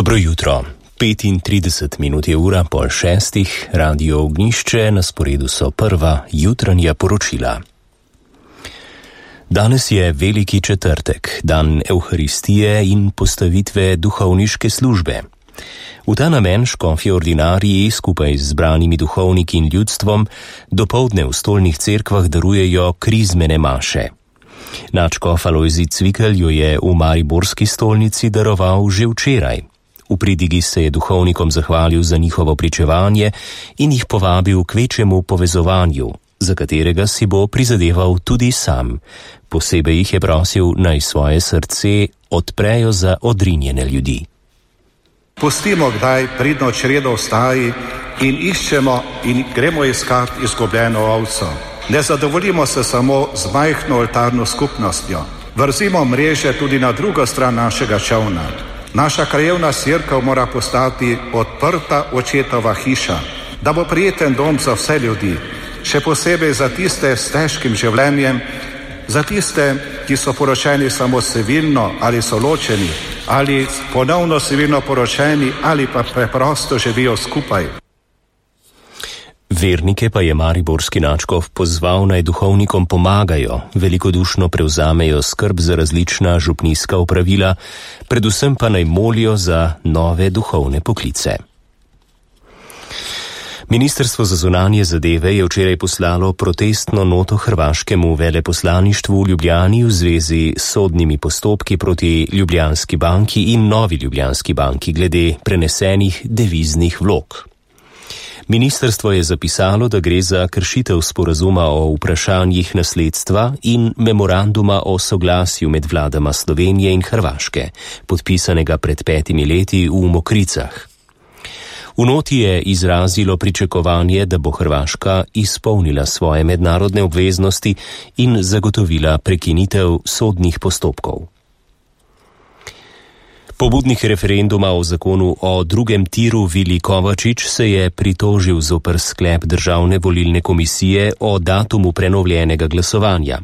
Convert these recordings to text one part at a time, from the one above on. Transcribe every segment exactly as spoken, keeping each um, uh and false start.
Dobro jutro. petintrideset minut je ura pol šestih, Radio Ognjišče, na sporedu so prva jutranja poročila. Danes je veliki četrtek, dan Evharistije in postavitve duhovniške službe. V ta namen škofje ordinariji skupaj z zbranimi duhovniki in ljudstvom dopoldne v stolnih cerkvah darujejo krizmene maše. Nadškof Alojzij Cvikl jo je v mariborski stolnici daroval že včeraj. V pridigi se je duhovnikom zahvalil za njihovo pričevanje in jih povabil k večjemu povezovanju, za katerega si bo prizadeval tudi sam. Posebej jih je prosil, naj svoje srce odprejo za odrinjene ljudi. Pustimo kdaj pridno čredo vstaji in iščemo in gremo iskat izgubljeno ovco. Ne zadovoljimo se samo z majhno oltarno skupnostjo. Vrzimo mreže tudi na drugo stran našega čovna. Naša krajevna cerkev mora postati odprta očetova hiša, da bo prijeten dom za vse ljudi, še posebej za tiste s težkim življenjem, za tiste, ki so poročeni samo civilno ali so ločeni, ali ponovno civilno poročeni ali pa preprosto živijo skupaj. Vernike pa je mariborski nadškof pozval, naj duhovnikom pomagajo, velikodušno prevzamejo skrb za različna župnijska opravila, predvsem pa naj molijo za nove duhovne poklice. Ministrstvo za zunanje zadeve je včeraj poslalo protestno noto hrvaškemu veleposlaništvu v Ljubljani v zvezi s sodnimi postopki proti Ljubljanski banki in Novi Ljubljanski banki glede prenesenih deviznih vlog. Ministrstvo je zapisalo, da gre za kršitev sporazuma o vprašanjih nasledstva in memoranduma o soglasju med vladama Slovenije in Hrvaške, podpisanega pred petimi leti v Mokricah. V noti je izrazilo pričakovanje, da bo Hrvaška izpolnila svoje mednarodne obveznosti in zagotovila prekinitev sodnih postopkov. Pobudnik referenduma o zakonu o drugem tiru Vili Kovačič se je pritožil zoper sklep Državne volilne komisije o datumu prenovljenega glasovanja.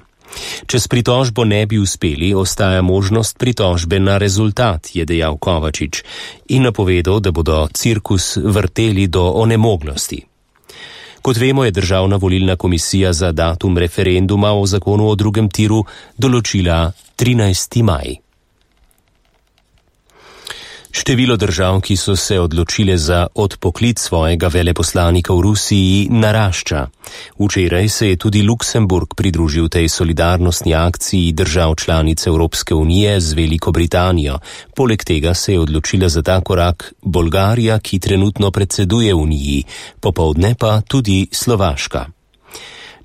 Če s pritožbo ne bi uspeli, ostaja možnost pritožbe na rezultat, je dejal Kovačič in napovedal, da bodo cirkus vrteli do onemoglosti. Kot vemo, je Državna volilna komisija za datum referenduma o zakonu o drugem tiru določila trinajsti maj. Število držav, ki so se odločile za odpoklic svojega veleposlanika v Rusiji, narašča. Včeraj se je tudi Luksemburg pridružil tej solidarnostni akciji držav članic Evropske unije z Veliko Britanijo. Poleg tega se je odločila za ta korak Bolgarija, ki trenutno predseduje Uniji, popoldne pa tudi Slovaška.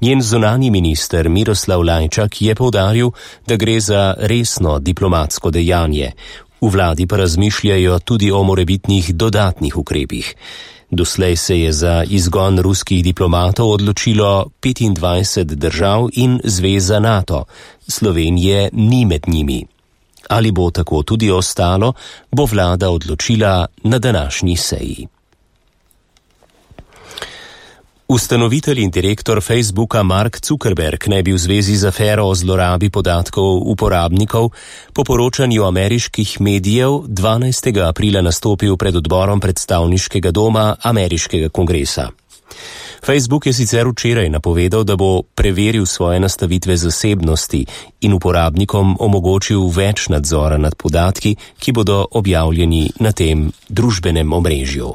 Njen zunanji minister Miroslav Lajčak je poudaril, da gre za resno diplomatsko dejanje. V vladi pa razmišljajo tudi o morebitnih dodatnih ukrepih. Doslej se je za izgon ruskih diplomatov odločilo petindvajset držav in zveza NATO. Slovenije ni med njimi. Ali bo tako tudi ostalo, bo vlada odločila na današnji seji. Ustanovitelj in direktor Facebooka Mark Zuckerberg naj bi v zvezi z afero o zlorabi podatkov uporabnikov po poročanju ameriških medijev dvanajstega aprila nastopil pred odborom predstavniškega doma ameriškega kongresa. Facebook je sicer včeraj napovedal, da bo preveril svoje nastavitve zasebnosti in uporabnikom omogočil več nadzora nad podatki, ki bodo objavljeni na tem družbenem omrežju.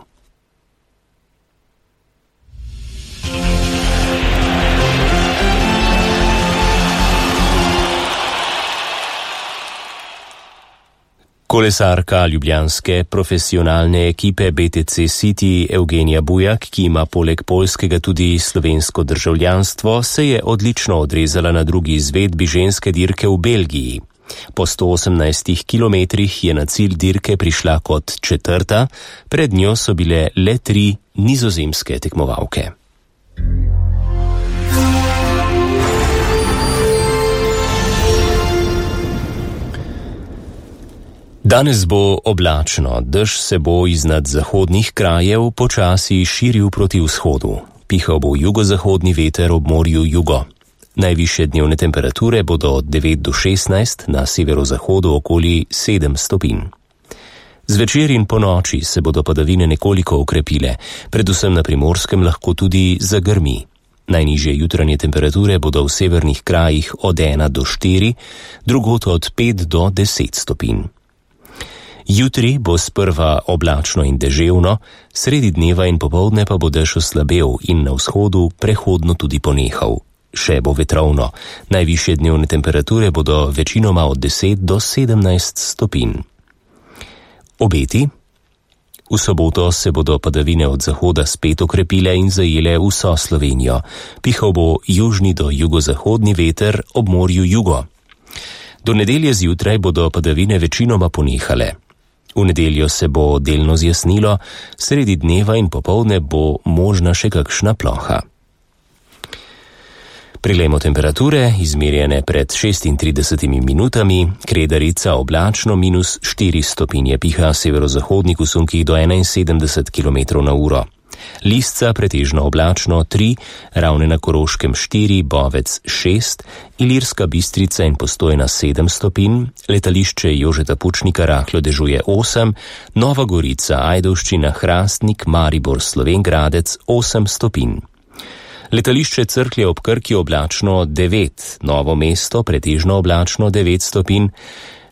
Kolesarka ljubljanske profesionalne ekipe B T C City Evgenija Bujak, ki ima poleg poljskega tudi slovensko državljanstvo, se je odlično odrezala na drugi izvedbi ženske dirke v Belgiji. Po sto osemnajstih kilometrih je na cilj dirke prišla kot četrta, pred njo so bile le tri nizozemske tekmovalke. Danes bo oblačno, dež se bo iznad zahodnih krajev počasi širil proti vzhodu. Pihal bo jugozahodni veter ob morju jugo. Najvišje dnevne temperature bodo od devet do šestnajst, na severozahodu okoli sedem stopinj. Zvečer in po noči se bodo padavine nekoliko okrepile, predvsem na Primorskem lahko tudi zagrmi. Najnižje jutranje temperature bodo v severnih krajih od ena do štiri, drugod od pet do deset stopinj. Jutri bo sprva oblačno in deževno, sredi dneva in popoldne pa bo dež oslabel in na vzhodu prehodno tudi ponehal. Še bo vetrovno, najvišje dnevne temperature bodo večinoma od deset do sedemnajst stopinj. Obeti? V soboto se bodo padavine od zahoda spet okrepile in zajele vso Slovenijo. Pihal bo južni do jugozahodni veter ob morju jugo. Do nedelje zjutraj bodo padavine večinoma ponehale. V nedeljo se bo delno zjasnilo, sredi dneva in popoldne bo možna še kakšna ploha. Prilejmo temperature, izmerjene pred šestintridesetimi minutami, Kredarica oblačno minus štiri stopinje, piha severozahodnik v sunkih do enainsedemdeset kilometrov na uro. Lisca pretežno oblačno tri, Ravne na Koroškem štiri, Bovec šest, Ilirska Bistrica in Postojna sedem stopinj, letališče Jožeta Pučnika rahlo dežuje osem, Nova Gorica, Ajdovščina, Hrastnik, Maribor, Slovenj Gradec osem stopinj. Letališče Cerklje ob Krki oblačno devet, Novo mesto pretežno oblačno devet stopinj,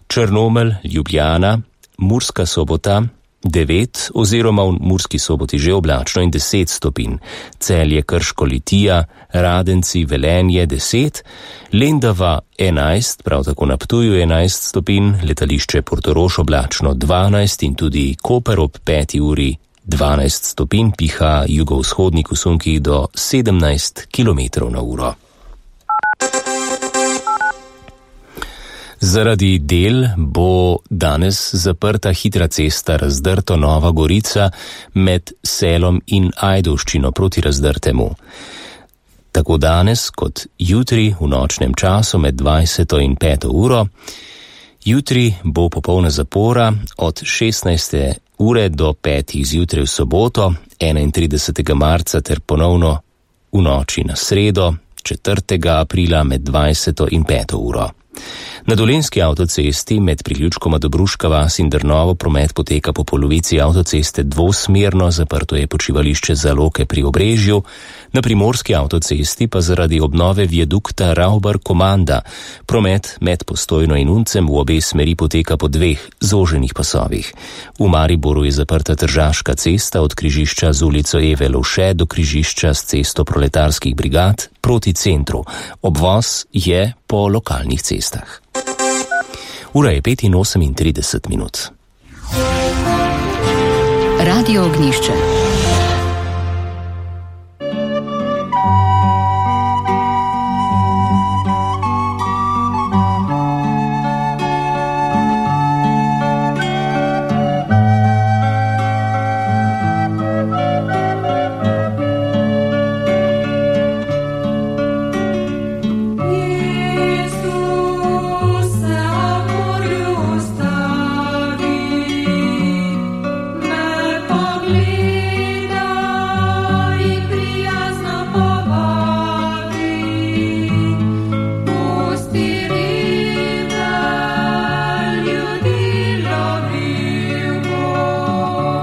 Črnomelj, Ljubljana, Murska Sobota devet oziroma v Murski Soboti že oblačno in deset stopinj, Celje, Krško, Litija, Radenci, Velenje deset, Lendava enajst, prav tako na Ptuju enajst stopinj, letališče Portorož oblačno dvanajst in tudi Koper ob peti uri dvanajst stopinj, piha jugovzhodnik v sunkih do sedemnajst kilometrov na uro. Zaradi del bo danes zaprta hitra cesta Razdrto Nova Gorica med Selom in Ajdovščino proti Razdrtemu. Tako danes kot jutri v nočnem času med dvajseto in peto uro. Jutri bo popolna zapora od šestnajste ure do petih zjutraj v soboto, enaintridesetega marca ter ponovno v noči na sredo, četrtega aprila med dvajseto in peto uro. Na Dolenjski avtocesti med priključkoma Dobruška vas in Drnovo promet poteka po polovici avtoceste dvosmerno, zaprto je počivališče Zaloke pri Obrežju, na Primorski avtocesti pa zaradi obnove viadukta Ravbar-Komanda promet med Postojno in Uncem v obe smeri poteka po dveh zoženih pasovih. V Mariboru je zaprta Tržaška cesta od križišča z ulico Eve Lovše do križišča s cesto proletarskih brigad proti centru. Obvoz je po lokalnih cestah. Ura je petinosemintrideset minut. Radio Ognjišče.